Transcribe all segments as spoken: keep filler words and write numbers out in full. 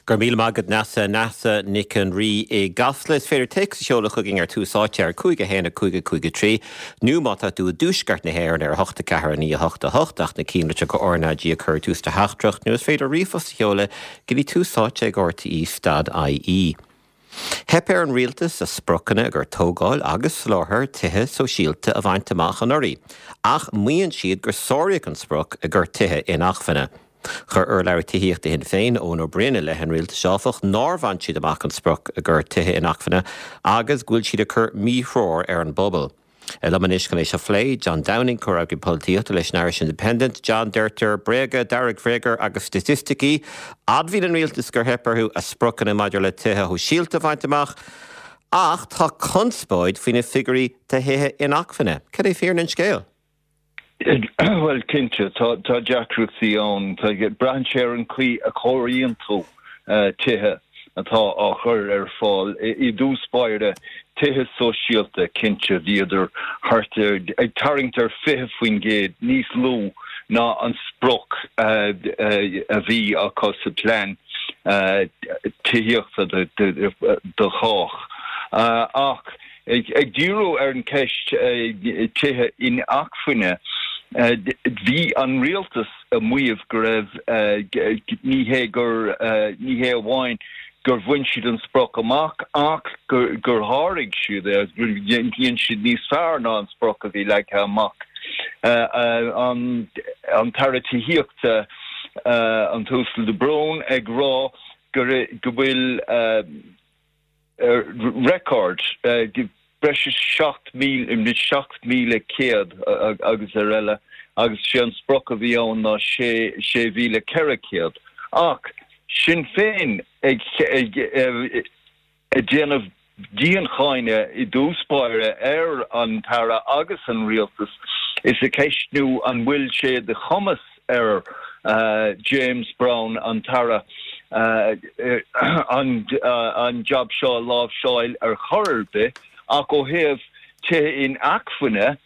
Gur míle maith agat Neasa Neasa Nic an Rí i gCasla is féidir téacs a sheoladh chugainn ar Tús Áite ar cúig a haon a cúig a cúig a trí nó má tá tú i dtuaisceart na hÉireann ar hocht a ceathair a naoi a hocht a hocht ach na cinnlitreacha RnaG a chur tús do theachtaireacht nó is féidir ríomhphost a sheoladh go dtí tús áite ag RTÉ stad IE. Theip ar an rialtas a spriocanna i gcomhair tógáil agus soláthar tithe sóisialta a bhaint amach anuraidh, ach maíonn siad gur sáraíodh an sprioc i gcomhair tithe inacmhainne. Chuir urlabhraí tithíochta Shinn Féin Eoin Ó Broin i leith an rialtais áfach nár bhain siad amach an sprioc i gcomhair tithe inacmhainne agus go bhfuil siad ag cur míthreoir ar an bpobal. Liom anois chun é seo a phlé, John Downing comhfhreagraí polaitíochta leis an Irish Independent, John deirtear bréaga, deargbhréaga agus staitisticí, admhaíonn an rialtas gur theip orthu a spriocanna maidir le tithe sóisialta a bhaint amach, ach tá conspóid faoi na figiúirí do thithe inacmhainne. Cad é fírinne an scéil? Well cinnte tá tá deacrachtaí ann braitheann sé ar an chaoi a chomhaireann tú tithe atá á chur ar fáil i dtús báire tithe sóisialta cinnte bhíodar thart ar ag tarraingt ar fiche faoin gcéad níos lú ná an sprioc a bhí acu sa plean tithíochta do chách. Ach ag díriú ar an ceist tithe inacmhainne, bhí an rialtas ag maíomh go raibh ní hé gur ní hé amháin gur bhain siad an sprioc amach ach gur gur sháraigh siad é dhein siad níos fearr ná an sprioc a bhí leagtha amach. An an tAire Tithíochta an tUasal de Brún ag rá go go bhfuil record breis is seacht míle seacht míle céad agus ar eile agus sé an sprioc a bhí ann ná sé sé mhíle ceithre chéad. Ach Sinn Féin ag ag ag déanamh diancháineadh i dtús báire ar an tAire agus an rialtas is ag ceistiú an bhfuil sé de chumas ar James Browne an tAire an an jab seo a láimhseáil ar chor ar bith ach ó thaobh tithe inacmhainne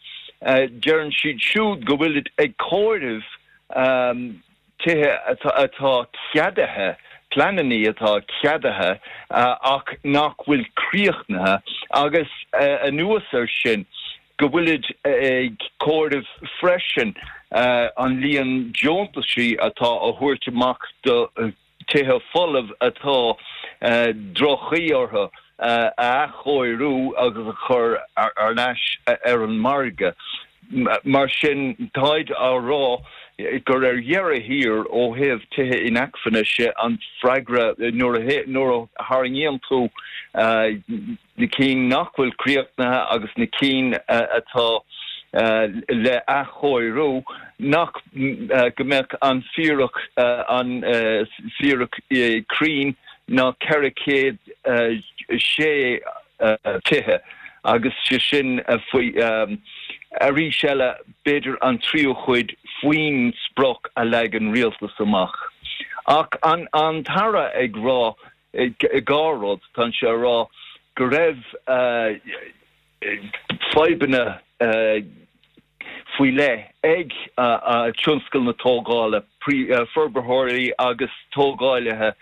deireann siad siúd go bhfuilid ag comhaireamh tithe atá ceadaithe, pleananna atá ceadaithe ach nach bhfuil críochnaithe agus anuas air sin go bhfuilid ag comhaireamh freisin an líon deontaisí atá á thabhairt amach do tithe folamh atá droch-chaoi orthu a athchóiriú agus a chur ar ais ar an margadh. Mar sin, táid á rá gur ar dheireadh thiar ó thaobh tithe inacmhainne sé an freagra nuair a tharraingíonn tú na cinn nach bhfuil críochnaithe agus na cinn atá le athchóiriú, nach go mbeadh an fíric an fíric cruinn ná ceithre chéad sé tithe agus sé sin faoi arís eile b'fhéidir an tríú chuid faoin sprioc a leag an rialtas amach. Ach an an tAire ag rá dhá rud, tá sé ag rá go raibh fadhbanna faoi leith ag tionscal na tógála, forbarthóirí agus tógálaithe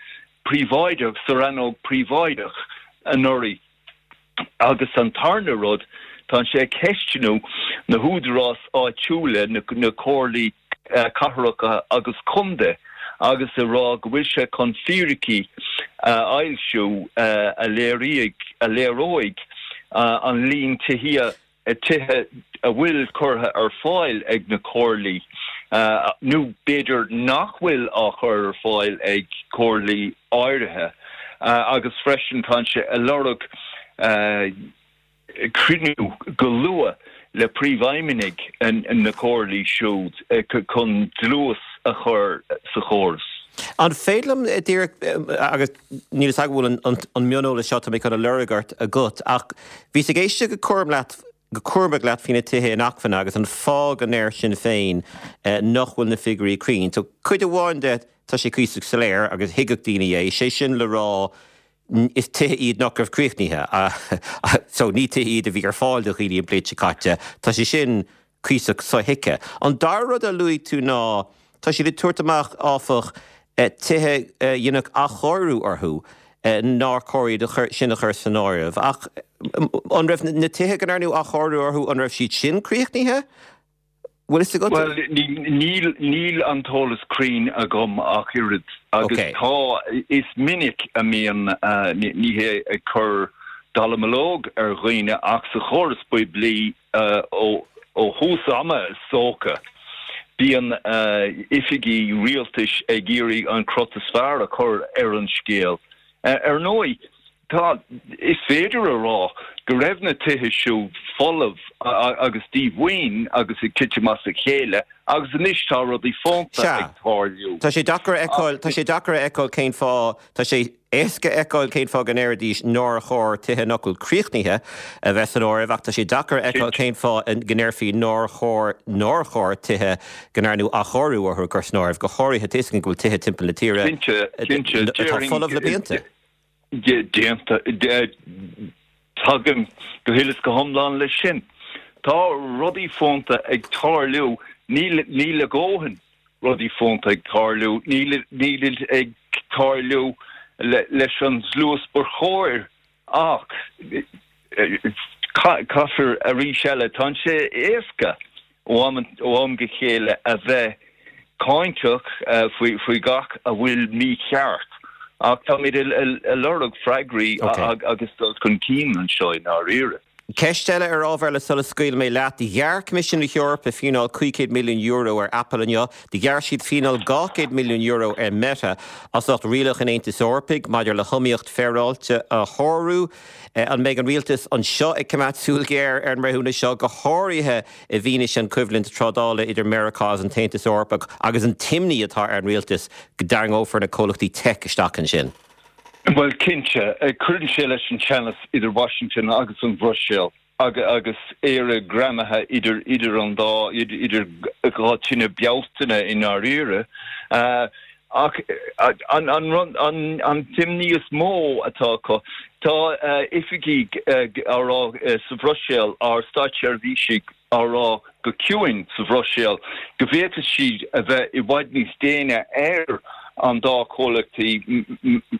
príobháideach sa rannóg príobháideach anuraidh. Agus an tarna rud, tá sé ag ceistiú na húdaráis áitiúla, na comhairlí cathracha agus contae agus ag rá go bhfuil sé chun fíricí a fhoilsiú a léireoidh an líon tithe tithe a bhfuil curtha ar fáil ag na comhairlí nó b'fhéidir nach bhfuil á chur ar fáil ag comhairlí áirithe agus freisin tá sé ag lorg cruinniú go luath le príomhfheidhmeannaigh na comhairlí siúd chun dlús a chur sa chóras. An féidir liom díreach, agus níl fhios agam an bhfuil an mioneolas seo atá mé chun a lorg ort agat, ach bhíos ag éisteacht go cúram leat, go cúramach leat faoi na tithe inacmhainne agus an fáth go ndeir Sinn Féin nach bhfuil na figiúirí cruinn. So cuid amháin de, tá sé cuíosach soiléir agus thuigfeadh daoine é, sé sin le rá, is tithe iad nach raibh críochnaithe. So ní tithe iad a bhí ar fáil do dhaoine an bhliain seo caite. Tá sé sin cuíosach sothuigthe. An dara rud a luaigh tú ná, tá siad ag tabhairt amach, áfach, tithe a deineadh athchóiriú orthu nár chóir iad sin a chur san áireamh. Ach an raibh na tithe go ndearnadh athchóiriú orthu an raibh siad sin críochnaithe? Bhfuil fhios agat? Bhuel, níl níl an t-eolas cruinn agam ach oiread agus tá is minic a mbíonn ní hé ag cur dallamullóg ar dhaoine ach sa chóras poiblí ó ó thús ama is dócha bíonn oifigí rialtais ag iarraidh an crot is fearr a chur ar an scéal. Ar ndóigh, tá, is féidir a rá go raibh na tithe siúd folamh agus díomhaoin agus ag titim as a chéile agus anois tá rudaí fónta ag tarlú. Tá sé deacair a fheiceáil, tá sé deacair a fheiceáil cén fáth, tá sé éasca a fheiceáil cén fáth go ndéarfaidís nár chóir tithe nach bhfuil críochnaithe a bheith san áireamh ach tá sé deacair a fheiceáil cén fáth go ndéarfaí nár chóir, nár chóir tithe go ndearnadh athchóiriú orthu a chur san áireamh, go háirithe tá a fhios againn go bhfuil tithe timpeall na tíre atá folamh le blianta. Déanta. Tagaim go huile is go hiomlán leis sin. Tá rudaí fónta ag tarlú, níl níl a dhóthain rudaí fónta ag tarlú, níl nílid ag tarlú leis an dlús ba chóir ach caithfear arís eile, tá sé éasca ó am ó am go chéile a bheith cáinteach faoi gach a bhfuil mícheart, ach táimid ag lorg freagraí agus dul chun cinn anseo i ndáiríre. Ceist eile ar ábhar eile sula scaoilfidh mé leat. Ghearr Coimisiún na hEorpa fíneáil cúig chéad milliún euro ar Apple inniu. Ghearr siad fíneáil dhá chéad milliún euro ar Meta as ucht rialacha an Aontais Eorpaigh maidir le hiomaíocht féaráilte a shárú. An mbeidh an rialtas anseo ag coimeád súil ghéar ar an mbreithiúnas seo, go háirithe i bhfianaise an choimhlint trádála idir Meiriceá agus an tAontas Eorpach agus an t-imní atá ar an rialtas go dtarraingeofar na comhlachtaí tech isteach ansin? Bhuel, cinnte, cuireann sé leis an teannas idir Washington agus an Bhruiséil agus Éire greamaithe idir idir an dá, idir dhá tine Bealtaine i ndáiríre. Ach an an an t-imní is mó atá acu, tá oifigigh á rá sa Bhruiséil, ár státseirbhísigh á rá go ciúin sa Bhruiséil go bhféadfadh siad a bheith i bhfad níos déine ar an dá chomhlachtaí,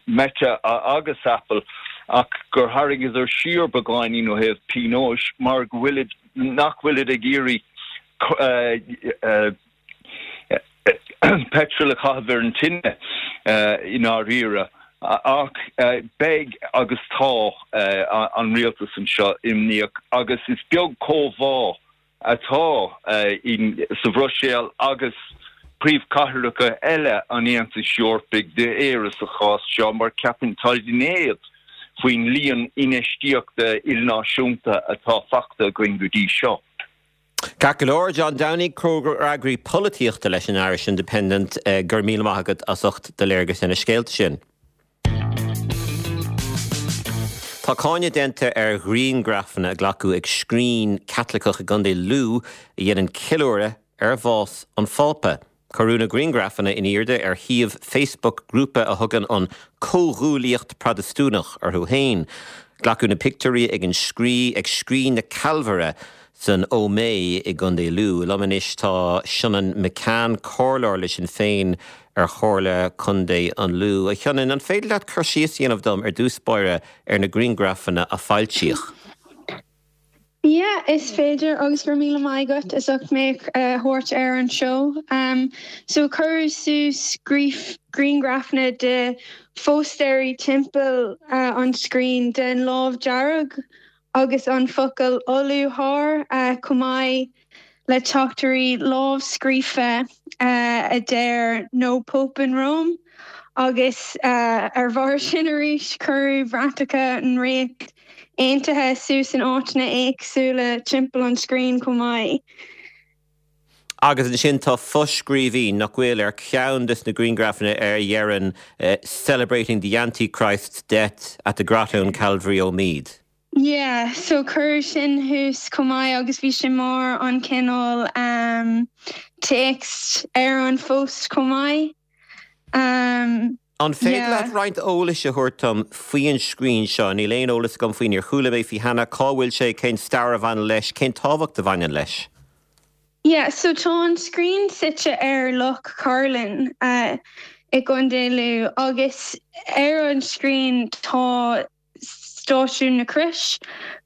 Meta agus Apple, ach gur tharraingeadar siar beagáinín ó thaobh pionóis mar go bhfuilid, nach bhfuilid ag iarraidh peitreal a chaitheamh ar an tine i ndáiríre. Ach beidh agus tá an rialtas anseo imníoch agus is beag comhbhá atá sa Bhruiséil agus príomhchathracha eile an Aontais Eorpaigh d'Éire sa chás seo mar ceapann táid in éad faoin líon infheistíochta ilnáisiúnta atá fachta againn go dtí seo. Ceart go leor, John Downey, Comhfhreagraí Polaitíochta leis an Irish Independent, go raibh míle maith agat as ucht do léargas ar na scéalta sin. Tá cáineadh déanta ar ghrianghrafanna a glacadh ag scrín Caitliceach i gContae Lú a dhéanann ceiliúradh ar bhás an Phápa. Cuireadh na grianghrafanna in airde ar shuíomh Facebook grúpa a thugann an Comhghuaillíocht Protastúnach orthu féin. Glacadh na pictiúirí ag an scrí ag Scrín na Calvaire san Ómaigh i gContae Lú. Liom anois tá Seonán McCann, comhairleoir le Sinn Féin ar Chomhairle Contae an Lú. A Sheonáin, an féidir leat cur síos a dhéanamh dom ar dtús báire ar na grianghrafanna a foilsíodh? Yeah, is féidir agus go raibh míle maith agat as ucht mé a thabhairt ar an seó. Um, so cuireadh suas grianghrafanna de phóstaeirí timpeall uh, an scrín den lámh dearg agus an focal 'Olúthóir' chomh maith le teachtaireacht lámhscríofa a deir 'No Pope in Rome' agus ar bharr sin arís cuireadh bratacha an Ríocht Aontaithe suas in áiteanna éagsúla timpeall an scrín chomh maith. Agus ansin tá foscríbhinn nach bhfuil ar cheann de na grianghrafanna ar a dheireann 'Celebrating the Antichrist's death at the Grotto in Calvary Omeath'. Yeah, so cuireadh sin thuas chomh maith agus bhí sé mar an cineál um, téacs ar an phost chomh maith. Um, An féidir leat roinnt eolais a thabhairt dom faoin scrín seo? Níl aon eolas agam faoi, níor chuala mé faoi cheana, cá bhfuil sé, cén stair a bhaineann leis, cén tábhacht a bhaineann leis? Yeah, so tá an scrín suite ar Loch Cairlinn uh, i gContae Lú agus ar an scrín tá Stáisiún na Croise,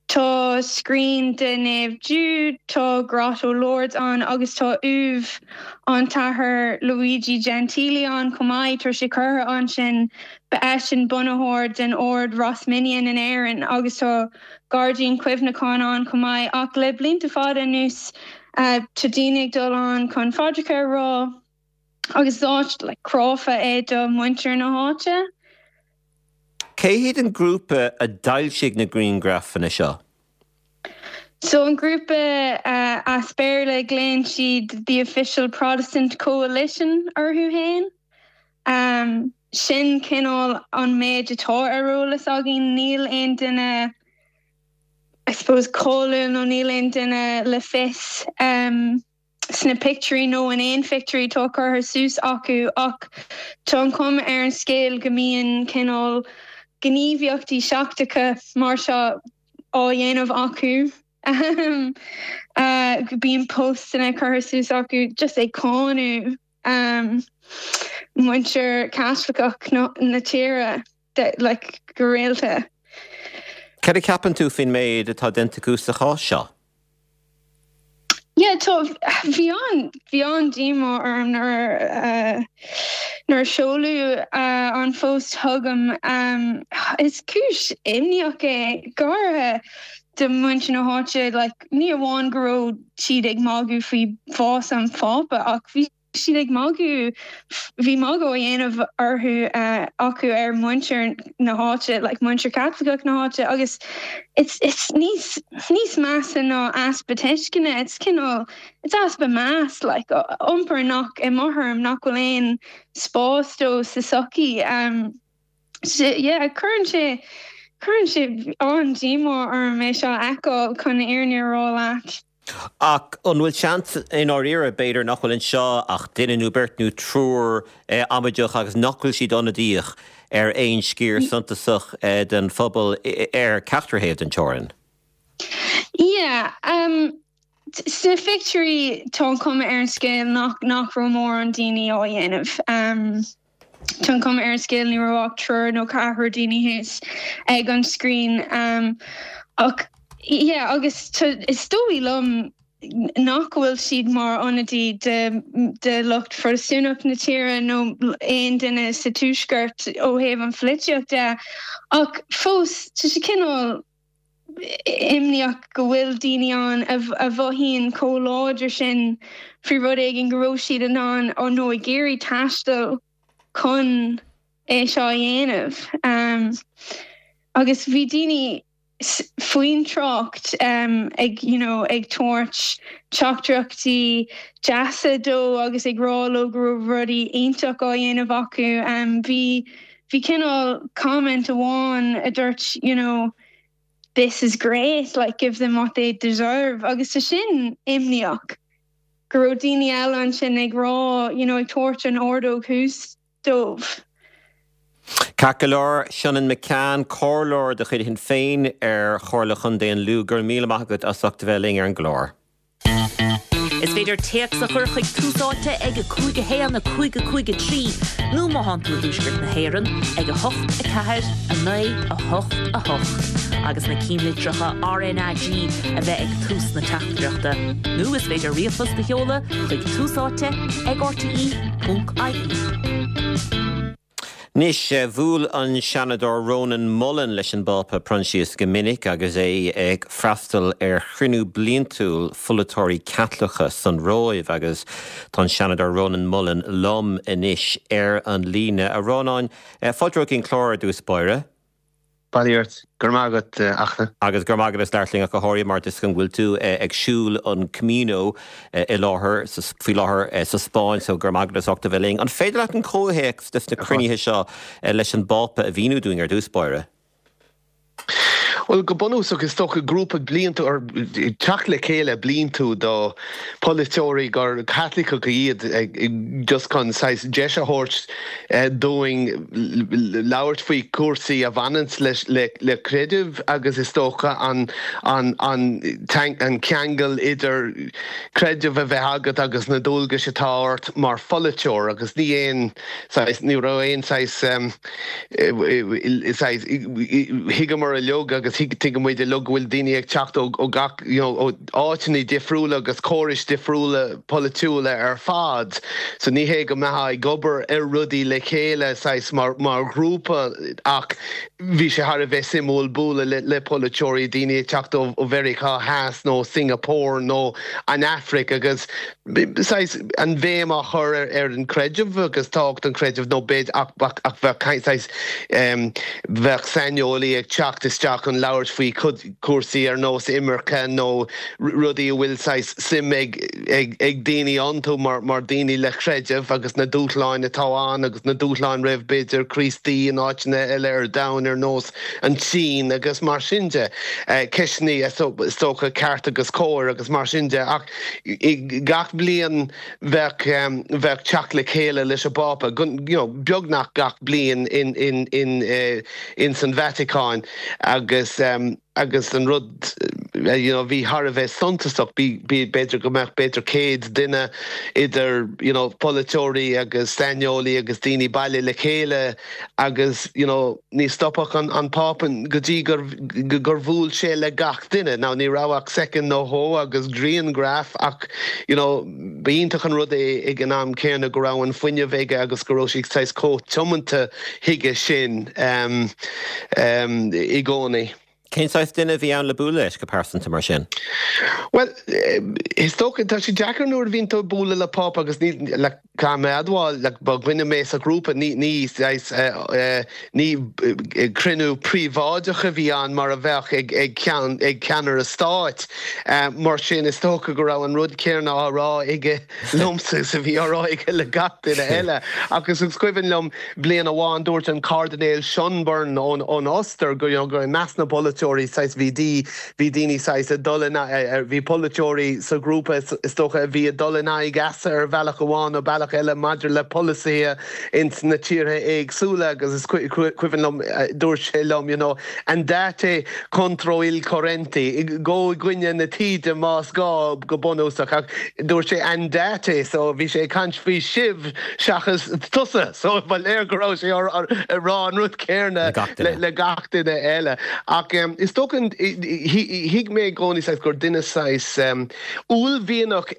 tá scrín de Naomh Jude, tá Grotto Lourdes ann agus tá uaimh an tAthair Luigi Gentile ann chomh maith tá sé curtha ansin ba eisean bunaitheoir den ord Rosminian in Éirinn agus tá gairdín cuimhneacháin ann chomh maith ach le blianta fada anuas uh, tá daoine ag dul ann chun paidreacha a rá agus áit like, cráfa é do muintir na háite. Cé hiad an grúpa a d'fhoilsigh na grianghrafanna seo? So an grúpa uh, as Béarla glaonn siad the Official Protestant Coalition orthu féin. Um, sin cineál an méid atá ar eolas againn níl aon duine I suppose cáiliúil nó níl aon duine le fios um, sna pictiúirí nó in aon phictiúirí atá curtha suas acu ach tá an chuma ar an scéal go mbíonn cineál gníomhaíochtaí seachtracha mar seo á dhéanamh acu. um, uh, bíonn postanna curtha suas acu just ag cáineadh um, muintir Caitliceach na, na tíre de, like, go rialta. Cad a cheapann tú faoin méid atá déanta acu sa chás seo? Yeah, tá bhí an bhí an-díomá orm nuair uh, nuair seoladh uh, an phost chugam um, is cúis imníoch é garthe de muintir na háite like, ní amháin go raibh siad ag magadh faoi bhás an Phápa ach bhí siad ag magadh bhí magadh á dhéanamh orthu uh, acu ar muintir na háite like muintir Caitliceach na háite agus it's it's níos níos measa ná easpa tuisceana it's cineál it's easpa meas like iompar nach i m'thuairim nach bhfuil aon spás dó sa tsochaí um, yeah, cuireann sé cuireann sé an-díomá orm é seo a fheiceáil chun an fhírinne a rá leat. Ach an bhfuil seans in áiríre b'fhéidir nach bhfuil anseo ach duine nó beirt nó triúr eh, amaideach agus nach bhfuil siad ionadaíoch ar aon sciar suntasach eh, den phobal ar ceachtar thaobh den teorainn. Yeah, um, sna pictiúirí tá an chuma ar an scéal nach nach raibh mórán daoine á dhéanamh. Um, Tá an chuma ar an scéal ní raibh ach triúr nó ceathrar daoine thuas ag an scrín um, ach yeah, agus is dóigh liom nach bhfuil siad mar ionadaí de, de lucht Protastúnach na tíre nó aon duine sa tuaisceart ó thaobh an pholaitíocht de ach fós tá sé cineál imníoch go bhfuil daoine ann a, a mhothaíonn chomh láidir sin faoi rud éigin go raibh siad in ann á nó ag iarraidh taisteal chun é seo a dhéanamh. Um, agus bhí daoine faoin trácht um, ag you know, ag tabhairt teachtaireachtaí deasa dó agus ag rá leo go raibh rudaí iontach á dhéanamh acu um, bhí bhí cineál comment amháin a dúirt you know, this is great like give them what they deserve agus tá sin imníoch go raibh daoine eile ansin ag rá you know, ag tabhairt an ordóg thuas dóibh. Ceart go leor Seonan McCann comhairleoir de chuid Shinn Féin ar Chomhairle Chontae an Lú go raibh míle maith agat as ucht a bheith linn ar an gclár. Is féidir téacs a chur chuig Tús Áite ag a cúig a haon a cúig a cúig a trí nó má tá tú i dtuaisceart na hÉireann ag a hocht a ceathair a naoi a hocht a hocht. agus na ceannlitreacha RNAG a bheith ag tús na teachtaireachta. Nó is féidir ríomhphost a sheoladh chuig Tús Áite ag RTE.ie. Anois bhuail an Seanadóir Rónán Mullen leis an bPápa Proinsias go minic agus é ag freastal ar chruinniú bliantúil pholaiteoirí Caitliceacha san Róimh agus tá an Seanadóir Rónán Mullen liom anois ar an líne a Rónáin fáilte chuig an chlár ar dtús báire. Bail ort gur agat achna. Agus gur agad is leirling a go háirithe mar is go bhfuil tú ag siúl an Camino i láthair faoi láthair sa Spáinn so gur agad is ochta bheith An féidir leat an comhthéacs des na cruinnithe seo leis an bPápa a mhíniú dúinn ar dtús báire? Well go bunúsach is dócha grúpa bliantúil or teacht le chéile bliantúil do polaiteoirí gur Caitliceach iad just chun saghas deis a thabhairt dúinn labhairt faoi cúrsaí a bhaineann le le creideamh agus is dócha an an an an ceangal idir creideamh a bheith agat agus na dualgais atá ort mar pholaiteoir agus ní aon ní raibh aon saghas thuigeamar uilig agus tuigimid uilig go bhfuil daoine ag teacht ó gach áiteanna difriúla agus córais difriúla polaitiúla ar fad. So ní hé go mbeifeá ag obair ar rudaí le chéile saghas mar mar ghrúpa ach bhí sé thar a bheith suimiúil bualadh le le polaiteoirí daoine ag teacht ó Mheiriceá Theas nó Singapore nó an Afraic agus saghas an bhéim á chur ar ar an creideamh agus tábhacht an chreidimh nó b'fhéidir ach ach bheadh saghas bheadh saineolaí ag teacht isteach chun labhairt faoi cúrsaí ar nós imirce nó rudaí a bhfuil saghas suim ag ag ag daoine iontu mar mar daoine le creideamh agus na dúshláin atá ann agus na dúshláin roimh b'fhéidir Críostaí in áiteanna eile ar domhan ar nós an tSín agus mar sin de. Ceisteanna is dócha ceart agus cóir agus mar sin de ach gach bliain bheadh bheadh teacht le chéile leis an bPápa you know, beagnach gach bliain in in in uh, in san Vatican agus um, agus an rud you know, bhí thar a bheith suntasach b'fhéidir go mbeadh b'fhéidir céad duine idir you know, polaiteoirí agus saineolaí agus daoine bailithe le chéile agus you know, ní stopfadh an, an Pápa go dtí gur, gur bhuail sé le gach duine. Now ní raibh ach soicind nó dhó agus grianghraf ach you know, b'iontach an rud é ag an am céanna go raibh an fuinneamh aige agus go raibh sé saghas chomh tiomanta chuige sin um, um, i gcónaí. Cén saghas duine a bhí ann le bualadh leis go pearsanta mar sin? Well, is dócha tá sé deacair nuair a bhíonn tú ag bualadh le Pápa agus ní le caithfidh mé a admháil le ba dhuine mé sa ghrúpa ní ní ní cruinniú príobháideach a bhí ann mar a bheadh ag ag ceann ag ceannaire stáit. Mar sin is dócha go raibh an rud céanna á rá aige liomsa is a bhí á rá aige le gach duine eile. Agus is cuimhin liom bliain amháin dúirt an Cairdinéal Schönborn ón ón Ostair go go measc na bpolaiteoirí saghas bhí dí bhí daoine saghas ag dul bhí polaiteoirí sa ghrúpa is dócha a bhí ag dul in aghaidh easa ar bhealach amháin nó bealach eile maidir le polasaithe ins na tíortha éagsúla agus is cuimhin liom dúirt sé liom you know andate contro il corrente gabh i gcoinne na taoide más gá go bunúsach ach dúirt sé andate so bhí sé ag caint faoi sibh seachas tusa so ba léir go raibh sé ag rá an rud céanna le gach duine eile ach um, is dócha thuig mé i gcónaí saghas gur duine saghas um, uaillmhianach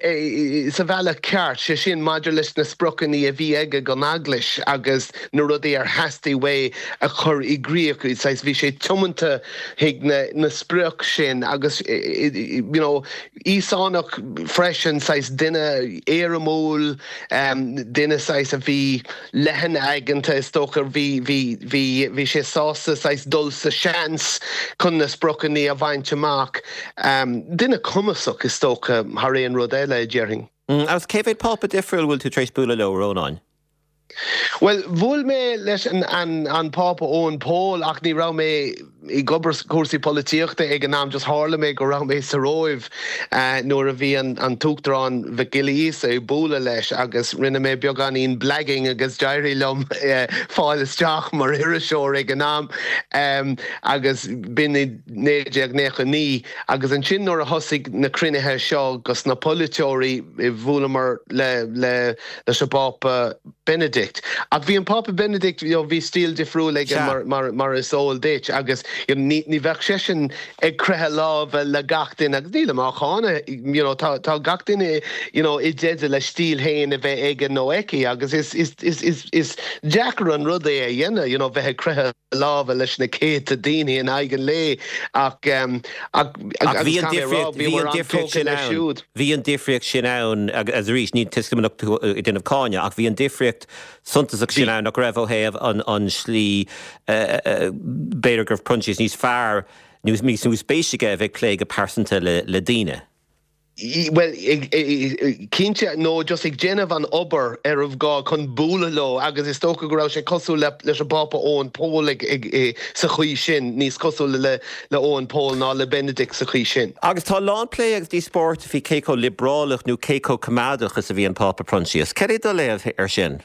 sa bhealach ceart sé sin maidir leis na spriocanna a bhí aige don eaglais agus na rudaí ar theastaigh uaidh a chur i gcrích saghas bhí sé tiomanta chuig na, na sprioc sin agus you know, Íosánach freisin saghas duine éirimiúil um, duine saghas a bhí leathan aigeanta is dócha bhí bhí bhí bhí sé sásta saghas dul sa seans chun na spriocanna a bhaint amach. Um, duine cumasach is dócha thar aon rud eile déarfainn. Mm, agus cé mhéad pápa difriúil bhfuil tú tar éis bualadh leo Rónáin? Well bhuail mé leis an, an, an Pápa Eoin Pól ach ní raibh mé ag obair cúrsaí polaitíochta ag an am just tharla mé go raibh mé sa Róimh uh, nuair a bhí an, an tUachtarán Mhic Giolla Íosa ag bualadh leis agus rinne mé beagáinín blagging agus d'éirigh liom uh, fáil isteach mar iriseoir ag an am um, agus b'in i naoi déag nócha naoi agus ansin nuair a thosaigh na cruinnithe seo agus na polaiteoirí bhuaileamar le le leis an bPápa Benedict. Ach bhí an Pápa Benedict you know, bhí stíl difriúil aige mar, mar, mar is eol duit agus you know, ní, ní bheadh seisean ag croitheadh lámha le gach duine agus níl á cháineadh you know, tá, tá gach duine you know, i dteideal le stíl féin a bheith aige nó aici agus is, is, is, is, is deacair an rud é a dhéanamh you know, bheith ag croitheadh lámha leis na céadta daoine in aghaidh an lae ach um, ach, ach bhí an difríocht sin ann bhí an difríocht sin ann agus arís ní tuisceanach déanamh cáineadh ach bhí an difríocht suntasach sin ann nach raibh ó thaobh an an slí b'fhéidir go raibh Proinsias níos fearr níos níos spéise aige a bheith plé go pearsanta le le daoine. Well, cinnte nó just ag déanamh an obair ar a gá chun bualadh leo agus is dócha go raibh sé cosúil le leis an bPápa Eoin Pól ag, ag, ag, sa chaoi sin níos cosúla le le Eoin Pól ná le Benedict sa chaoi sin. Agus tá a lán plé agus díospóireacht faoi cé chomh liobrálach nó cé chomh coimeádach is a bhí an Pápa Proinsias. Cad é do léamh air sin?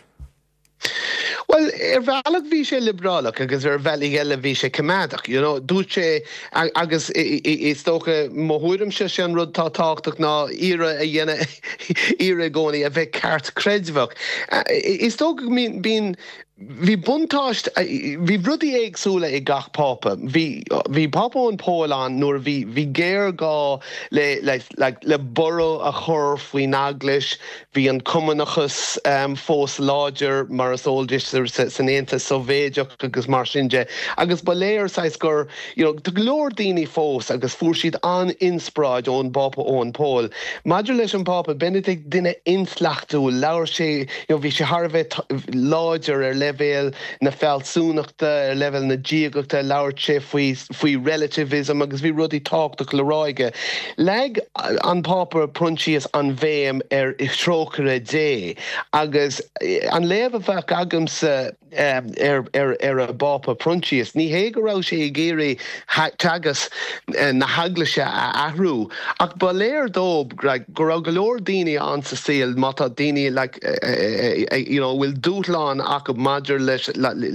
Well ar bhealach bhí sé liobrálach agus ar bhealaí eile bhí sé coimeádach, you know, dúirt sé agus is dócha mo thuairimse sé an rud tá tábhachtach ná iarracht a dhéanamh iarracht i gcónaí a bheith ceartchreidmheach. Is dócha bíonn Bhí buntáiste bhí rudaí éagsúla ag gach pápa. Bhí bhí Pápa Eoin Pól ann nuair bhí bhí géarghá le le le le borradh a chur faoin eaglais, bhí an cumannachas um, fós láidir mar is eol duit san Aontas Sóivéadach agus mar sin de. Agus ba léir saghas gur you know, tá go leor daoine fós agus fuair siad an-inspioráid ón bPápa Eoin Pól. Maidir leis an Pápa Benedict duine intleachtúil labhair sé you know, bhí sé thar a bheith láidir ar leibhéal na fealsúnachta ar leibhéal na diagachta labhair sé faoi faoi relativism agus bhí rudaí tábhachtach le rá aige. Leag an Pápa Proinsias an bhéim ar thrócaire Dé agus an léamh a bheadh agamsa um, ar, ar, ar an bPápa Proinsias. Ní hé go raibh sé ag iarraidh teagasc eh, na heaglaise a athrú ach ba léir dó go raibh go leor daoine ann sa saol má tá daoine like, uh, uh, you know, bhfuil dúshlán acu maidir leis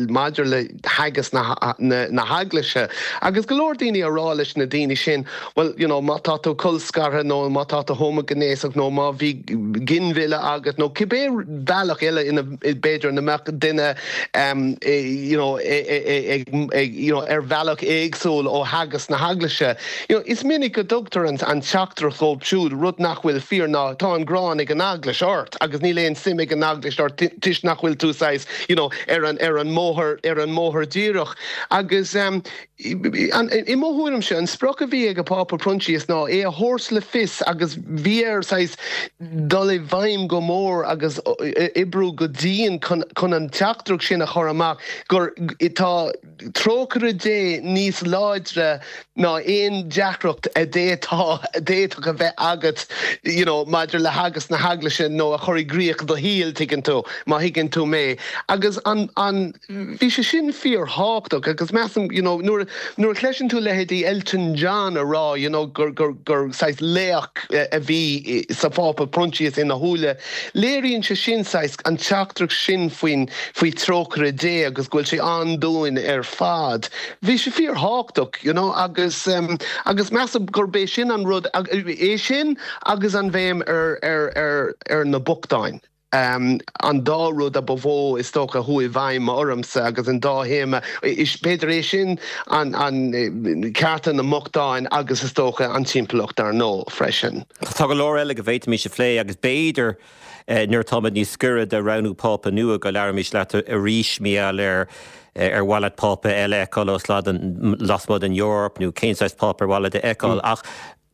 maidir le teagasc na, na, na heaglaise. Agus go leor daoine a rá leis na daoine sin, well you know, má tá tú colscartha nó má tá tú homaighnéasach nó má bhí ginmhilleadh agat nó cibé bealach eile ina b'fhéidir na mbeadh duine um, you know, ag, ag, you know, ar bhealach éagsúil ó theagasc na heaglaise. You know, is minic go dtugtar an, an teachtaireacht dóibh siúd rud nach bhfuil fíor ná tá an ghráin ag an eaglais ort agus níl aon suim ag an eaglais ort toisc nach bhfuil tú saghas you know, ar an ar an mbóthar ar an mbóthar díreach agus um, i mo thuairimse an sprioc a bhí ag an Pápa Proinsias ná é a thabhairt le fios agus bhí air saghas dul i bhfeidhm go mór agus oibriú go dian chun an teachtaireacht sin a chur amach gur tá trócaire Dé níos láidre ná aon deacracht a d'fhéadfadh a bheith agat you know, maidir le teagasc na heaglaise nó a chur i gcrích do shaol tuigeann tú má thuigeann tú mé. Agus an an bhí sé sin fíorthábhachtach agus measaim you know, nuair nuair a chloiseann tú leithéidí Elton John a rá you know, gur gur gur saghas laoch a bhí sa Phápa Proinsias ina shúile. Léiríonn sé sin saghas an teachtaireacht sin faoin faoi trócaire Dé agus go bhfuil sé ann dúinn ar fad. Bhí sé fíorthábhachtach you know, agus um, agus measaim gurb é sin an rud é sin agus an bhéim ar, ar, ar, ar na bochtáin. Um, an dá rud a ba mhó is dócha a chuaigh i bhfeidhm ormsa agus an dá théama is b'fhéidir é sin an, an cearta na mbochtán agus is dócha an timpeallacht ar ndóigh freisin. Tá go leor eile go bhféadfaimis a phlé agus b'fhéidir eh, nuair atáimid níos gaire do roghnú Pápa nua go labhróimis leat arís mar gheall ar ar mhaith leat Pápa eile a fheiceáil lasmuigh den Eoraip nó cén saghas Pápa ar mhaith leat a fheiceáil ach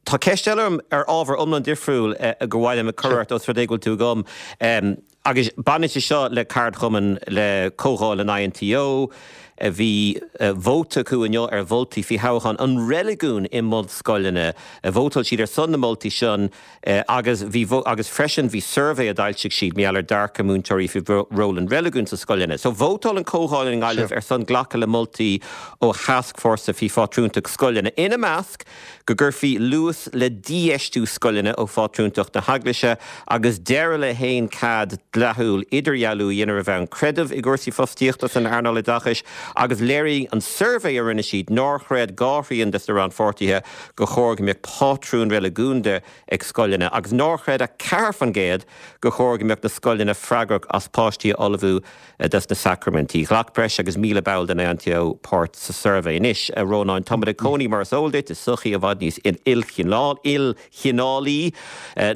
Tá ceist eile ar ábhar iomlán difriúil gur mhaith liom a chur ort os rud é go bhfuil tú agam. Um, agus baineann sé seo le ceardchumann le comhdháil an INTO, bhí vóta acu inniu ar mholtaí faoi thodhchaí an reiligiúin i mbunscoileanna. Vótáil siad ar son na moltaí sin agus bhí agus freisin bhí suirbhé a d'fhoilsigh siad mar gheall ar dearcadh múinteoirí faoi ról an reiligiúin sa scoileanna. So vótáil an comhdháil i nGaillimh ar son glacadh le moltaí ó thascfhórsa faoi phátrúntacht scoileanna. Ina measc go gcuirfí luas le dífheistiú scoileanna ó phátrúntacht na heaglaise agus deireadh le haon cead dleathúil idirdhealú a dhéanamh ar bhonn creidimh i gcúrsaí fostaíochta san earnáil oideachais agus léirigh an suirbhé a rinne siad nár chreid dhá thrian de na rannpháirtithe gur chóir go mbeadh pátrún reiligiúnda ag scoileanna agus nár chreid ach ceathair faoin gcéad gur chóir go mbeadh na scoileanna freagrach as páistí a ullmhú dos na sacraimintí. Ghlac breis agus míle ball den INTO páirt sa suirbhé anois a Rónáin táimid ag cónaí mar is eol duit i sochaí i bhfad níos ilchineálaí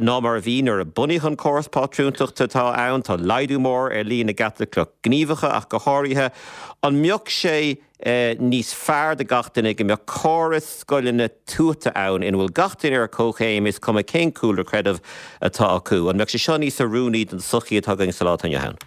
ná mar a bhí nuair a bunaíodh an córas pátrúntachta atá ann tá laghdú mór ar líon na gCaitliceach gníomhacha ach go háirithe an mbeadh sé níos fearr do gach duine go mbeadh córas scoileanna tuata ann ina bhfuil gach duine ar comhchéim is cuma cén cúlra creidimh atá acu. An mbeadh sé seo níos oiriúnaí don sochaí atá againn sa lá atá inniu ann?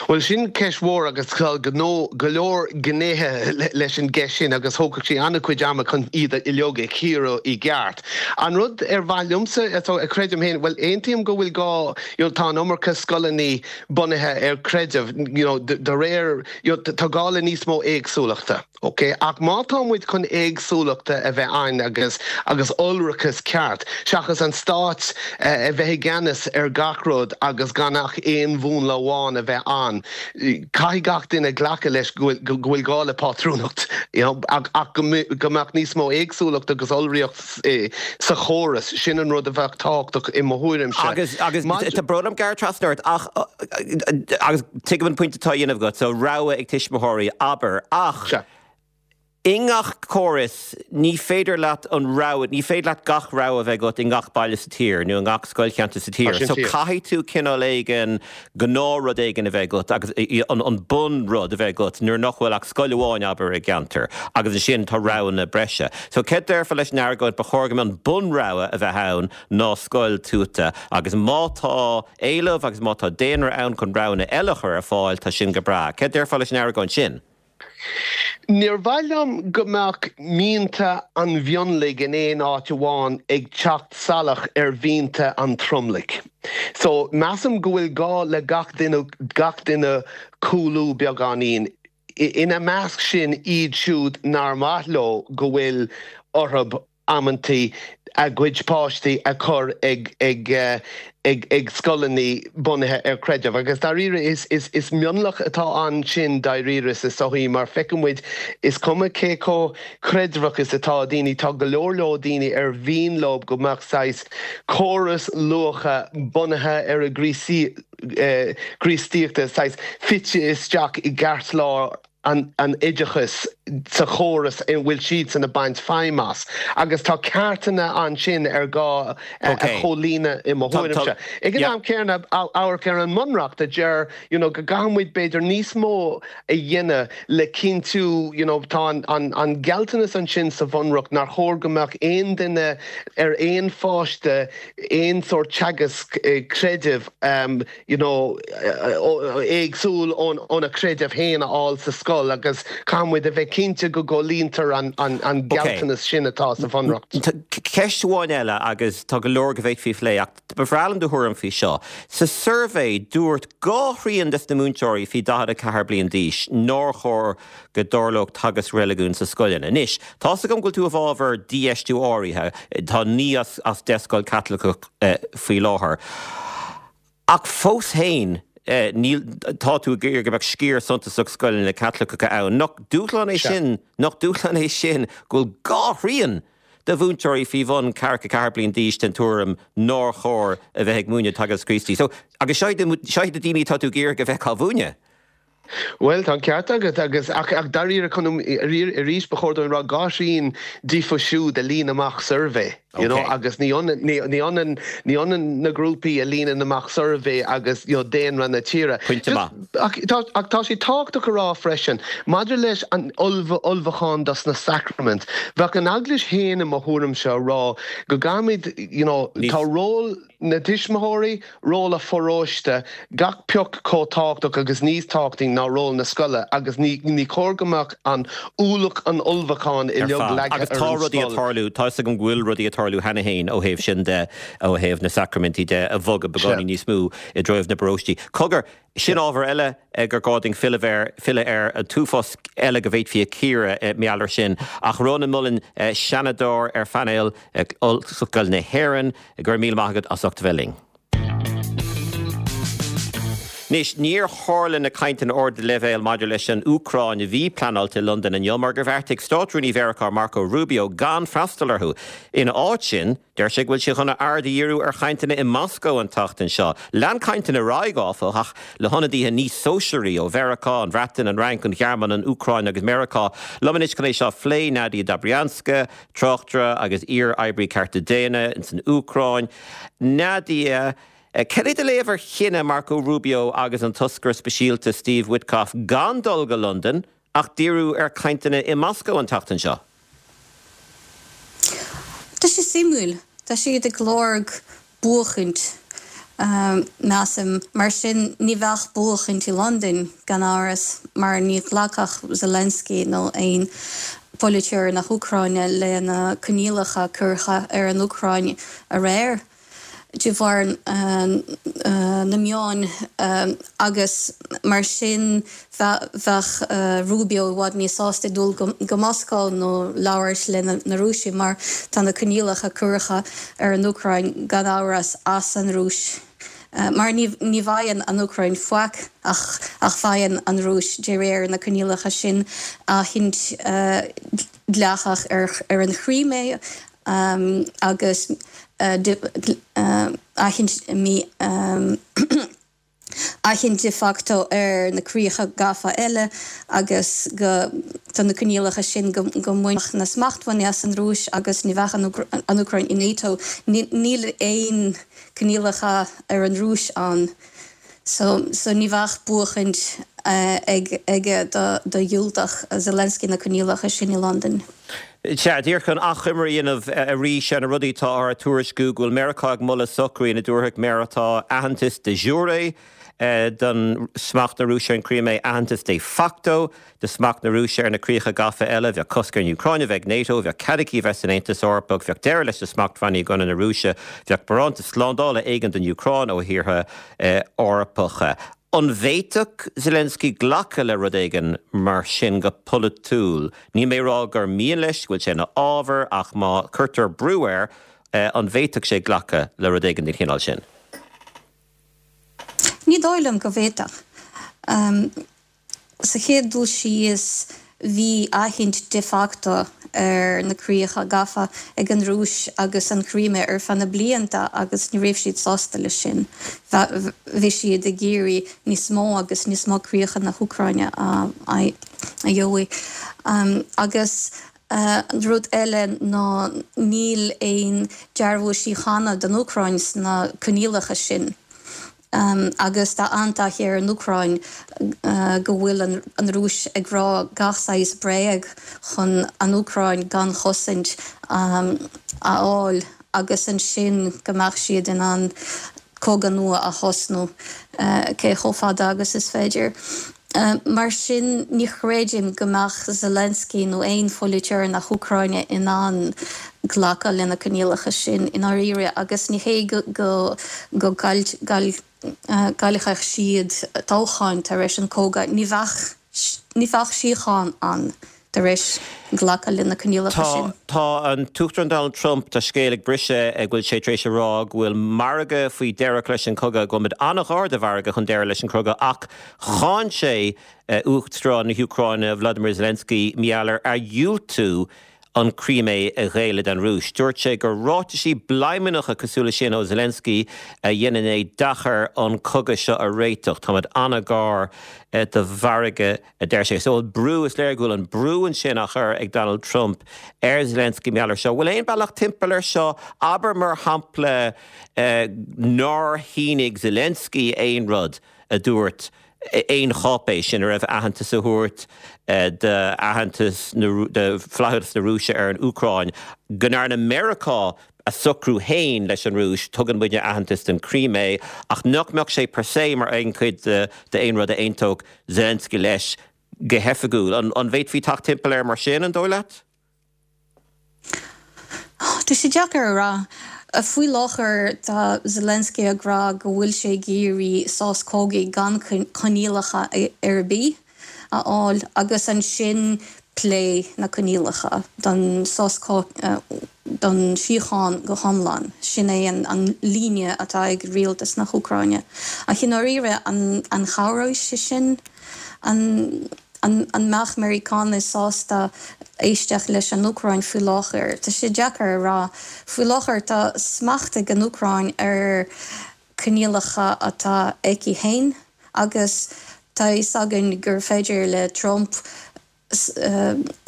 Well Bhuel sin ceist mhór agus tá go go leor gnéithe leis an gceist sin agus thógfadh sé an-chuid ama chun iad uilig a chíoradh i gceart. An rud ar mhaith liomsa a creidim féin, bhuel aontaím go bhfuil gá you know, tá an iomarca scoileanna bunaithe ar creideamh you know, de réir you know, tá gá le níos mó éagsúlachta. Okay? Ach má tá muid chun éagsúlachta a bheith ann agus agus iolrachas ceart, seachas an stát eh, a bheith i gceannas ar gach rud agus gan ach aon mhúnla amháin a bheith ann. Caithfidh gach duine glacadh leis go bhfuil gá le pátrúnacht ach go mbeadh níos mó éagsúlacht agus iolraíocht eh, sa chóras sin an rud a bheadh tábhachtach i mo thuairimse. Agus agus tá brón orm gearradh trasna ort ach agus tuigim an pointe atá á dhéanamh agat so rogha ag tuismitheoirí abair ach I ngach córas ní féidir leat an rogha, ní féidir leat gach rogha a bheith agat i ngach baile sa tír nó i ngach scoilcheantar sa tír. So caithfidh tú cineál éigin gnáthrud éigin a bheith agat agus an, an bunrud a bheith agat nuair nach bhfuil ach scoil amháin abair i gceantar agus ansin tá roghanna breise. So céard a déarfá leis an argóint ba chóir go an bunrogha a bheith ann ná scoil tuaithe agus má tá éileamh agus má tá daonra ann chun roghanna eile a chur ar fáil tá sin go breá. Céard a déarfá leis an argóint sin? Níor mhaith liom go mbeadh mianta an mhionlaigh in aon áit amháin ag teacht salach ar mhianta an tromlaigh. So measaim go bhfuil gá le gach duine gach duine cúlú beagáinín. Ina measc sin iad siúd nár mhaith leo go bhfuil orthu amantaí a gcuid páistí a chur ag ag ag ag scoileanna bunaithe ar creideamh. Agus dáiríre is, is, is mionlach atá ansin dáiríre sa sochaí mar feiceann muid is cuma cé chomh creidmheach is atá daoine tá go leor leor daoine ar mhian leo go mbeadh saghas córas luacha bunaithe ar a gCríostaíochta saghas fite isteach i gceartlár an, an oideachas sa chóras in bhfuil siad san ag baint feidhm as. Agus tá ceartanna ansin ar gá a chomhlíonadh i mo thuairimse. Ag an am céanna amharc ar an mbunreacht a deir you know, go gcaithfimid b'fhéidir níos mó a dhéanamh le cinntiú you know, tá an, an, an gealltanas ansin sa bhunreacht nár chóir go mbeadh aon duine ar aon pháiste aon sórt teagasc eh, creidimh um, you know, éagsúil óna creideamh féin a fháil sa scoil agus caithfimid a bheith cinnte go gcomhlíontar an, an, an gealltanas sin atá sa bhunreacht. Ceist amháin eile agus tá go leor go bhféadfaí a phlé ach ba bhreá liom do thuairim faoi seo. Sa suirbhé dúirt dhá thrian des na múinteoirí faoi daichead a ceathair bliain d'aois nár chóir go dtarlódh teagasc reiligiúin sa scoileanna. Anois, tá a fhios agam go bhfuil tú i bhfabhar dífheistiú áirithe, tá naoi as, as deich scoil Caitliceach eh, faoi láthair. Ach fós féin eh, níl tá tú ag iarraidh go mbeadh sciar suntasach scoileanna Caitliceacha ann. Nach dúshlán é sin, nach dúshlán é sin go bhfuil dhá thrian de mhúinteoirí faoi bhun ceathracha ceathair bliain d'aois den tuairim nár chóir a bheith ag múineadh teagasc Críostaí. So agus seo seo na daoine atá tú ag iarraidh a bheith á mhúineadh. Well tá ceart agat agus ach ach dáiríre chun arís ba chóir dom rá dhá thrian díobh siúd a líon amach suirbhé. You know, agus ní ionann ní ionann ní ionann na grúpaí a líonann amach suirbhé agus you know, daonra na tíre. Ach ach tá sé tábhachtach a rá freisin, maidir leis an ullmhúchán dos na sacraimint. Bheadh an eaglais féin i mo thuairimse ag rá go gcaithfimid you know, tá ról na tuismitheoirí, ról an pharóiste, gach pioc chomh tábhachtach agus níos tábhachtaí ná ról na scoile agus ní ní chóir go mbeadh an ualach an ullmhúcháin uilig leagtha Agus tá rudaí ag tarlú tá go bhfuil rudaí ag tarlú cheana féin ó thaobh sin de ó thaobh na sacraimintí de a bhogadh beagáinín níos mó i dtreo na bparóistí. Cogar sin ábhar eile gur gá dúinn filleadh air filleadh air an t-uafás eile go bhféadfaí a chíoradh mar gheall air sin ach Ronan Mullen seanadóir ar phainéal Ollscoil na hÉireann go raibh míle maith agat as ucht a bheith linn. Anois, níor tharla na cainteanna ardleibhéil maidir leis an Úcráin a bhí pleanáilte i Londain inniu mar gur bheartaigh Státrúnaí Mheiriceá Marco Rubio gan freastal orthu. Ina áit sin, deir sé go bhfuil sé chun a aird a dhíriú ar chainteanna i Moscó an tseachtain seo. Lean cainteanna ar aghaidh áfach ach le hionadaithe níos sóisearaí ó Mheiriceá, an Bhreatain, an Fhrainc, an Ghearmáin, an Úcráin agus Meiriceá. Liom anois chun é seo a phlé Nadia Dobrianska, tráchtaire agus iar-oibrí cearta daonna ins an Úcráin. Nadia, Cad é do léamh ar chinneadh Marco Rubio agus an toscaire speisialta Steve Witkoff gan dul go Londain ach díriú ar chainteanna i Moscó an tseachtain seo? Tá sé suimiúil, Tá siad ag lorg buachaint. Measaim, mar sin, ní bheadh buachaint i Londain, gan amhras, mar ní ghlacfadh Zelensky nó aon pholaiteoir na hÚcráine le na coinníollacha curtha ar an Úcráin aréir de bharr na meáin agus mar sin bheadh Rubio i bhfad níos sásta dul go Moscó nó labhairt le na Rúisigh mar tá na coinníollacha curtha ar an Úcráin gan amhras as an Rúis. Mar ní bhfaigheann an Úcráin faic ach ach faigheann an Rúis de réir na coinníollacha sin aithint dleathach ar an Chrímé agus aithint aithint de facto ar na críocha gafa eile agus go tá na coinníollacha sin go go mbainfeadh na smachtbhannaí as an Rúis agus ní bheadh an Úcráin i NATO. Níl aon coinníollacha ar an Rúis ann so so ní bheadh buachaint ag aige do do dhiúltach Zelensky na coinníollacha sin i Londain. Sea, díreach chun achoimre a dhéanamh arís ar na rudaí atá á tuairisciú go bhfuil Meiriceá ag moladh socrú ina dtabharfadh Meiriceá aitheantas de jure don smacht na Rúise ar an Crimea, aitheantas de facto do smacht na Rúise ar na críocha gafa eile, bheadh cosc ar an Úcráin a bheith ag NATO, bheadh cead aici a bheith san Aontas Eorpach, bheadh deireadh leis na smachtbhannaí i gcoinne na Rúise, bheadh barántas slándála éigin don Úcráin ó thíortha Eorpacha. An bhféadfadh Zelensky glacadh le rud éigin mar sin go polaitiúil? Níl mé ag rá gur mian leis, go bhfuil sé ina fhábhar, ach má cuirtear brú air, an bhféadfadh sé glacadh le rud éigin den chineál sin? Ní dóigh liom go bhféadfadh. Sa chéad dul síos, bhí aithint de facto ar na críocha gafa ag an Rúis agus an Chrímé ar feadh na blianta agus ní raibh siad sásta leis sin. Bhí siad ag iarraidh níos mó agus níos mó críocha na hÚcráine a gheobhaidh. Agus an rud eile ná níl aon dearbhú síochána don Úcráin sna coinníollacha sin. Agus tá an-taithí ar an Úcráin go bhfuil an Rúis ag rá gach saghas bréag chun an Úcráin gan chosaint a fháil agus ansin go mbeadh siad in ann cogadh nua a thosnú cé chomh fada agus is féidir. Mar sin, ní chreidim go mbeadh Zelensky nó aon pholaiteoir na hÚcráine in ann glacadh le na coinníollacha sin i ndáiríre agus ní hé go go gcaillfeadh siad toghcháin tar éis an cogadh, ní bheadh ní bheadh síocháin ann tar éis glacadh le na coinníollacha sin. Tá an tUachtarán Donald Trump, tá scéal ag briseadh go bhfuil sé tar éis a rá go bhfuil margadh faoi deireadh leis an cogadh, go bhfuil muid an-ghar do mhargadh chun deireadh leis an cogadh ach cháin sé Uachtarán na hÚcráine Vladimir Zelensky mar gheall ar a dhiúltú an Crimea a ghéilleadh don Rúis. Dúirt sé gur ráitisí bladhmannacha cosúil leis sin ó Zelensky a dhéanann é deacair an cogadh seo a réiteach. Táimid an-ghar do mhargadh, a deir sé. So brú, is léir go bhfuil an brú ansin á chur ag Donald Trump ar Zelensky mar gheall air seo. Bhfuil aon bealach timpeall air seo? Abair mar shampla nár shínigh Zelensky aon rud a dúirt aon cháipéis ina raibh aitheantas a thabhairt d'aitheantas de flaithiúlacht na Rúise ar an Úcráin, go ndearna Meiriceá a socrú féin leis an Rúis, tugann muidne aitheantas don Crimea, ach nach mbeadh sé per se mar aon chuid d'aon rud a aontódh Zelensky leis go hoifigiúil. An bhféadfaí teacht timpeall air mar sin, an dóigh leat? Tá sé deacair a rá. Faoi láthair tá Zelensky ag rá go bhfuil sé ag iarraidh sos cogaidh gan coinníollacha ar bith a fháil agus ansin plé na coinníollacha don sos don síocháin go hiomlán. Sin é an líne atá ag rialtas na hÚcráine. Ach i ndáiríre an chabhróidh sé sin? An An mbeadh Meiriceánaigh sásta éisteacht leis an Úcráin faoi láthair? Tá sé deacair a rá. Faoi láthair tá smacht ag an Úcráin ar coinníollacha atá aici féin agus tá a fhios againn gur féidir le Trump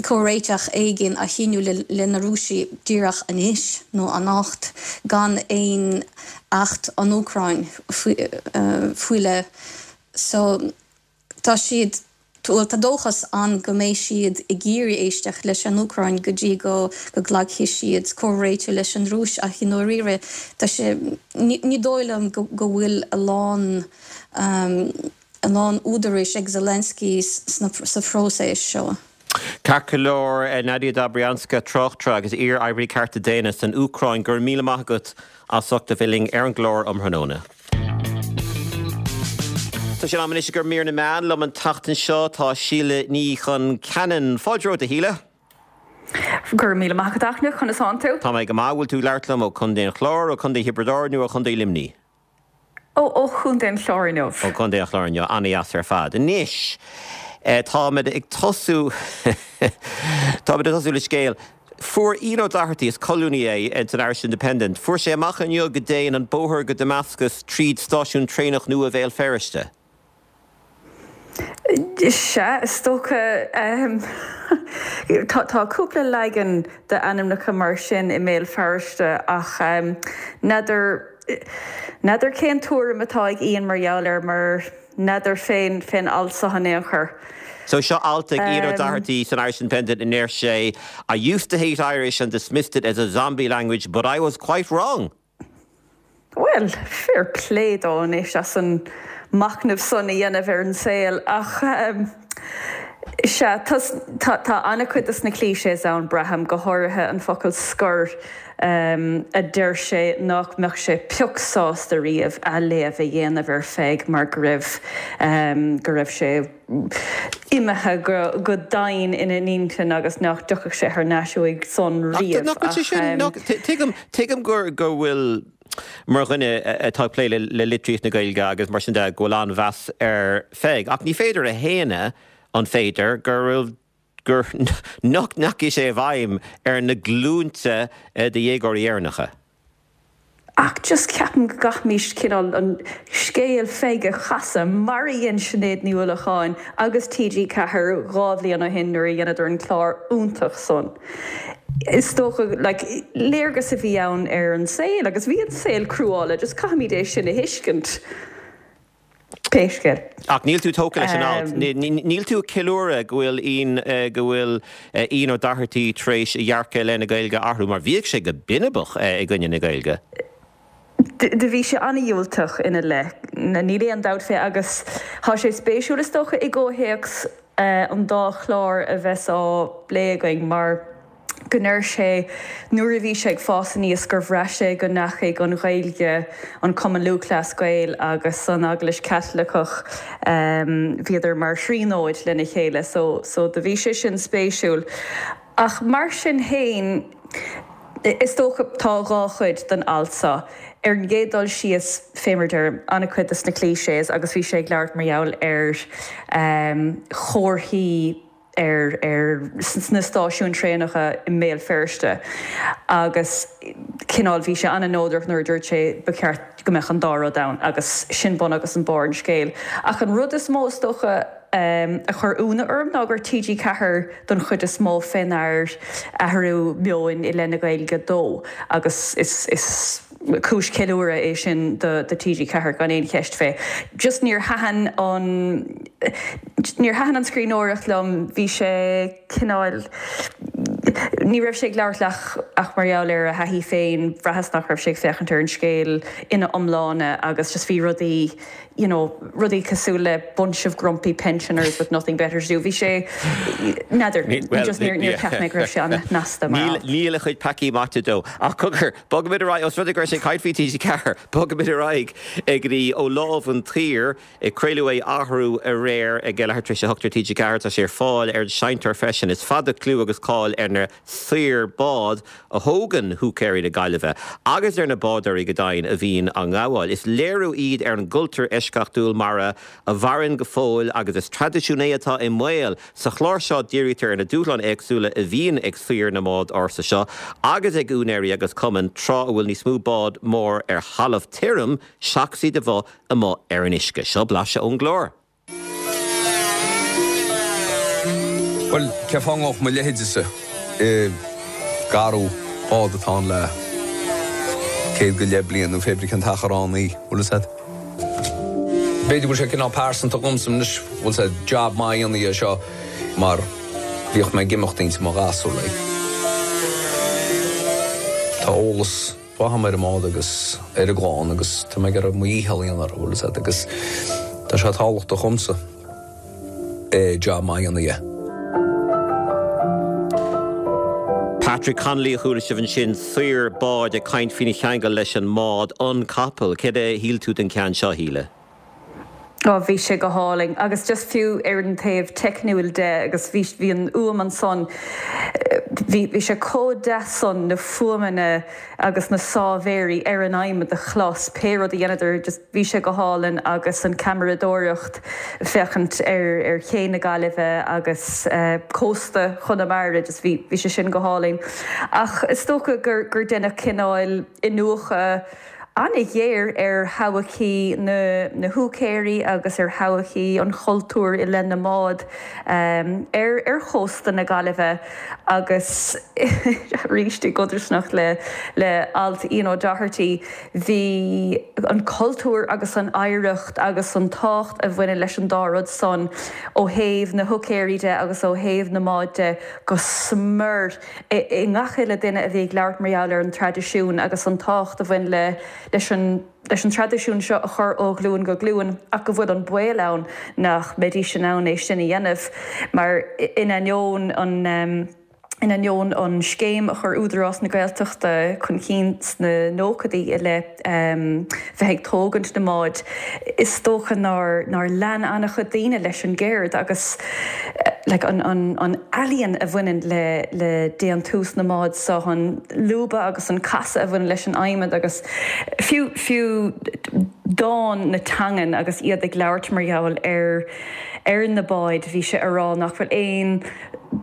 comhréiteach éigin a shíniú le na Rúisigh díreach anois nó anocht gan aon acht an Úcráin faoi le. So tá siad bhuel tá dóchas ann go mbeidh siad ag iarraidh éisteacht leis an Úcráin go dtí go go nglacfaidh siad comhréiteach leis an Rúis ach i ndáiríre tá sé ní ní dóigh liom go go bhfuil a lán a lán údarais ag Zelensky sna sa phróiseas seo. Ceart go leor, Nadia Dobrianska, tráchtaire agus iar-oibrí cearta daonna san Úcráin, go raibh míle maith agat as ucht a bheith linn ar an gclár um thráthnóna. Tá sé in am anois do mhír na meán liom an tseachtain seo tá Síle Ní Chon Ceanainn. Fáilte romhat a Shíle. Go raibh míle maith agat a Fhachtna, conas tánn tú? Tá mé go maith, bhfuil tú ag labhairt liom ó Chontae an Chláir, ó Chontae Thiobraid Árann nó ó Chontae Luimnigh? Ó ó Chontae an Chláir inniu. Ó Chontae an Chláir inniu, an-deas ar fad. Anois, táimid ag tosú táimid ag tosú le scéal. Fuair Ian Ó Dochartaigh, is colúnaí é san Irish Independent, fuair sé amach inniu go dtéann an bóthar go Damascus tríd stáisiún traenach nua Bhéal Feirste. Sea, is dócha. Tá cúpla leagan d'ainmneacha mar sin i mBéal Feirste ach n'fheadar n'fheadar cén tuairim atá ag Ian mar gheall air mar n'fheadar fén fén alt seo in aon chor. So seo alt ag Ian Ó Dochartaigh san Irish Independent ina ndeir sé, I used to hate Irish and dismissed it as a zombie language but I was quite wrong. Bhuel, fair play dó anois as an machnamh san a dhéanamh ar an saol ach sea, tá an-chuid de na clichés ann, braithim, go háirithe an focal scor a deir sé nach mbeadh sé pioc sásta riamh athléamh a dhéanamh ar Pheig mar go raibh go raibh sé imithe go domhain ina intinn agus nach dtiocfadh sé thar n-ais uaidh san riamh. Nach bhfuil sé sin, tuigim, tuigim go bhfuil mar dhuine atá ag plé le litríocht na Gaeilge agus mar sin de, go bhfuil an-mheas ar Pheig. Ach ní féidir a shéanadh, an féidir, go raibh, gur, nach ndeachaigh sé i bhfeidhm ar na glúinte de dhéagóirí Éireannacha. Ach just ceapaim go gcaithfimís cineál an scéal Pheig a chasadh mar a dhein Sinéad Ní Uallacháin agus T G ceathair dhá bhliain ó shin nuair a dheineadar an clár iontach san. Is dócha, like, léargas a bhí ann ar an saol agus bhí an saol cruálach, just caithfimid é sin a thuiscint, pé scéal. Ach níl tú tógtha leis an alt. Níl tú ag ceiliúradh go bhfuil Ian, go bhfuil Ian Ó Dochartaigh tar éis a dhearcadh i leith na Gaeilge a athrú, mar bhíodh sé go binibeach i gcoinne na Gaeilge. Do bhí sé an-dhiúltach ina leith, níl aon dabht fé, agus tá sé spéisiúil is dócha i gcomhthéacs an dá chlár a bheas á bplé againn mar go ndeir sé nuair a bhí sé ag fás aníos gur bhraith sé go ndeachaigh an Ghaeilge, an Cumann Lúthchleas Gael agus an Eaglais Chaitliceach, bhíodar mar thríonóid lena chéile so so do bhí sé sin spéisiúil. Ach mar sin fhéin, is dócha, tá dhá chuid den alt seo. Ar an gcéad dul síos, fé mar a deirim, an-chuid de na clichés agus bhí sé ag labhairt mar gheall ar chomharthaí ar ar sna stáisiúin traenacha i mBéal Feirste agus cineál bhí sé an-neodrach nuair a dúirt sé ba cheart go mbeadh an dá rud ann agus sin bun agus an barr an scéil. Ach an rud is mó is dócha a chuir ionadh orm ná gur T G ceathair don chuid is mó fénar athrú meoin i leith na Gaeilge dó agus is is cúis ceiliúradh é sin do do T G ceathair gan aon cheist fé. Just níor thaitin an níor thaitin an scríbhneoireacht liom, bhí sé cineál ní raibh sé ag labhairt ach ach mar gheall ar a thaithí féin, bhraitheas nach raibh sé ag féachaint ar an scéal ina iomláine agus just bhí rudaí you know, rudaí cosúil le bunch of grumpy pensioners with nothing better to do. Bhí sé, n'fheadar, just níor, níor cheap mé go raibh sé an-snasta mar alt. Níl a chuid peacaí maite dó. Ach cogar, bogfaimid ar aghaidh, os rud é go raibh sé ag caint faoi T G ceathair, bogfaimid ar aghaidh go dtí Ó Lámh an tSaoir. Craoladh é arú aréir ag leathuair tar éis a hocht ar T G ceathair. Tá sé ar fáil ar an seinnteoir freisin. Is fada clú agus cáil ar na saoir bád a thógann húicéirí na Gaillimhe agus ar na bádóirí go deimhin a bhíonn á ngabháil. Is léiriú iad ar an gcultúr eisceachtúil mara a mhaireann go fóill agus is traidisiún é atá i mbaol. Sa chlár seo dírítear ar na dúshláin éagsúla a bhíonn ag saoir na mbád ársa seo agus ag úinéirí agus cumainn tráth a bhfuil níos mó bád mór ar thalamh tirim seachas iad a bheith amuigh ar an uisce. Seo blaiseadh ón gclár. Bhuel, cén fáth a ngabhfadh mo leithéidese i gcarú bád atá ann le céad go leith bliain nó pé brí cén t-achar ann í, bhfuil fhios a'd? B'fhéidir go bhfuil sé cineál pearsanta dhomsa anois, bhfuil sé job maith a dhéanamh dhe seo mar bhíodh mé ag imeacht inti mo ghasúr like. Tá eolas mhaith agam ar an mbád agus ar an gclann agus tá mé ag iarraidh mo dhícheall a dhéanamh orthu, bhfuil fhios agat, agus tá sé tábhachtach dhomsa job maith a dhéanamh dhe. Patrick Connolly a chuala sibh ansin, saor báid ag caint faoina cheangal leis an mbád An Capall. Céard a shíl tú den cheann seo, a Shíle? Ó bhí sé go hálainn agus just fiú ar an taobh teicniúil de agus bhí bhí an fhuaim ansan, bhí bhí sé chomh deas san na fuaimeanna agus na sámhéirí ar an adhmad a chlos, pé rud a dheineadar just bhí sé go hálainn agus an ceamaradóireacht féachaint ar ar ché na Gaillimhe agus cósta Chonamara just bhí bhí sé sin go hálainn. Ach is dócha gur gur deineadh cineál iniúchadh an-ghéar ar thodhchaí na na húicéirí agus ar thodhchaí an chultúir i leith na mbád ar ar chósta na Gaillimhe agus arís i gcodarsnacht le le alt Ian O'Doherty bhí an cultúr agus an oidhreacht agus an tábhacht a bhaineann leis an dá rud san ó thaobh na húicéirí de agus ó thaobh na mbád de go smior i ngach uile duine a bhí ag labhairt mar gheall ar an traidisiún agus an tábhacht a bhain le leis an leis an traidisiún seo a chur ó ghlúin go glúin ach go bhfuil an baol ann nach mbeidís in ann é sin a dhéanamh mar in ainneoin an in ainneoin an scéim a chuir Údarás na Gaeltachta chun cinn sna nóchaidí i leith bheith ag tógaint na mbád, is dócha nár nár lean an-chuid daoine leis an gceird agus like an an an ealaíon a bhaineann le le déantús na mbád so, an lúbadh agus an casadh a bhaineann leis an adhmad agus fiú fiú dán na teangan agus iad ag labhairt mar gheall ar ar na báid bhí sé a rá nach bhfuil aon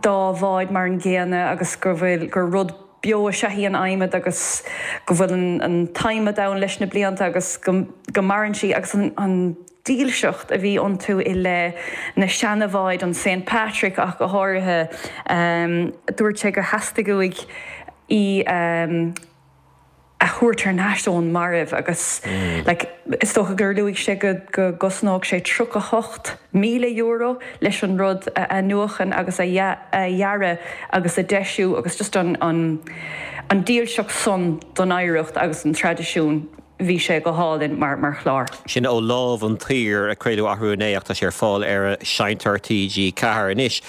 dá bhád mar an gcéanna agus go bhfuil gur rud beo is ea í an adhmad agus go bhfuil an an t-adhmad ann leis na blianta agus go go maireann sí agus an an dílseacht a bhí iontu i leith na seanabháid, an Saint Patrick ach go háirithe. Dúirt sé gur theastaigh uaidh í a thabhairt thar n-ais ón marbh agus like is dócha gur luaigh sé go go gcosnódh sé tríocha hocht míle euro leis an rud a athnuachan agus a dhearadh agus a deisiú agus just an an an dílseacht san don oidhreacht agus an traidisiún. Bhí sé go hálainn mar mar chlár. Sin Ó Lámh an tSaoir a craoladh arú inné ach tá sé ar fáil ar Seinnteoir T G ceathair anois.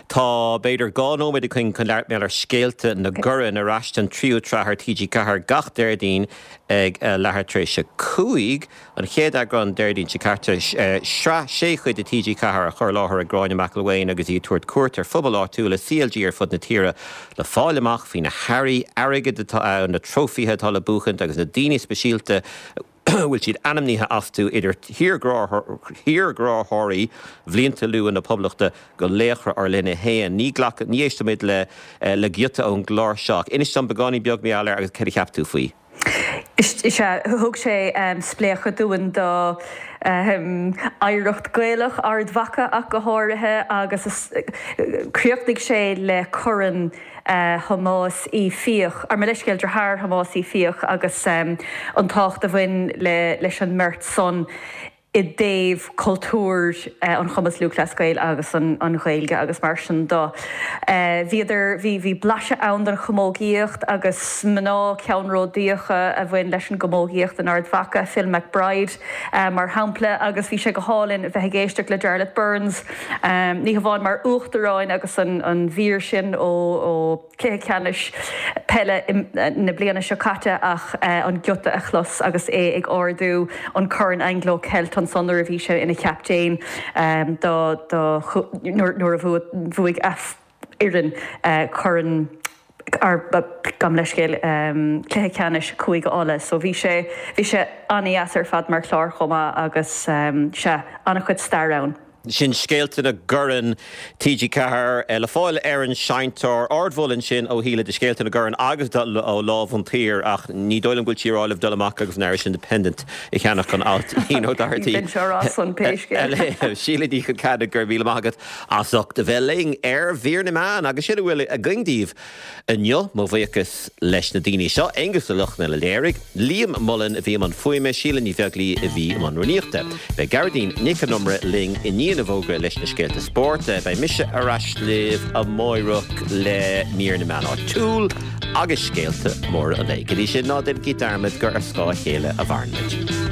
Tá b'fhéidir dhá nóiméad againn chun labhairt mar gheall ar Scéalta na gCorann ar ais don tríú tsraith ar T G ceathair gach Déardaoin ag leathuair tar éis a cúig. An chéad eagrán Déardaoin seo caite, sraith sé chuid de T G ceathair á chur i láthair ag Gráinne McElwain agus í ag tabhairt cuairt ar phobail áitiúla C L G ar fud na tíre le fáil amach faoi na hearraí airgid atá ann, na trófaithe atá le buachaint agus na daoine speisialta a bhfuil siad ainmnithe astu, idir thírghráthóirí bhlianta luatha na Poblachta go laochra ár linne féin. Ní ghlac, ní éistfimid le le giota ón gclár seo ach inis dom beagáinín beag mar gheall air agus céard a cheap tú faoi. Is ea, thug sé spléachadh dúinn do oidhreacht Gaelach Ard Mhacha ach go háirithe agus chríochnaigh sé le Corn Thomáis Uí Fiaich, ar mo leithscéal, deartháir Thomáis Uí Fiaich agus an tábhacht a bhain leis an mbeirt san i dtaobh cultúr an Chumann Lúthchleas Gael agus an Ghaeilge agus mar sin de. Bhíodar, bhí, bhí blaiseadh ann den chamógaíocht agus mná ceannródaíocha a bhain leis an gcamógaíocht in Ard Mhacha, Phil McBride mar shampla agus bhí sé go hálainn bheith ag éisteacht le Jarlath Burns, ní hamháin mar uachtarán agus an an mhír sin ó ó Cluiche Ceannais Peile na bliana seo caite ach an giota a chlos agus é ag ardú an Corn Anglo Celt ansan nuair a bhí sé ina chaptaen do nuair a bhuaigh a fhoireann Corn gabh mo leithscéal Cluiche Ceannais Chúige Uladh. So bhí sé bhí sé an-dheas ar fad mar chlár chomh maith agus sea, an-chuid stair ann. Sin Scéalta na gCoirn T G Ceathair le fáil ar an seinnteoir. Ardmholadh ansin ó Shíle do Scéalta na gCoirn agus ó Lámh an tSaoir, ach ní dóigh liom go bhfuil sí ag rá libh dul amach agus an Irish Independent a cheannach an alt Ian O'Doherty. Síle Ní Cholceannaigh, go raibh míle maith agat as ucht a bheith linn ar Mhír na Meán, agus sin a bhfuil againn daoibh inniu. Mo bhuíochas leis na daoine seo, Aonghus Ó Lochlainn a léirigh, Liam Mullen a bhí i mbun fuaime, Síle Ní Bheaglaoí a bhí i mbun rúnaíochta. Beidh Gearóidín Nic an Iomaire linn i ndiaidh na bhfógra leis na scéalta spóirt. Beidh mise ar ais libh amárach le Mír na Meán Áitiúil agus scéalta móra an lae. Go dtí sin, ná déanaigí dearmad gur ar scáth a chéile a mhaireann muid.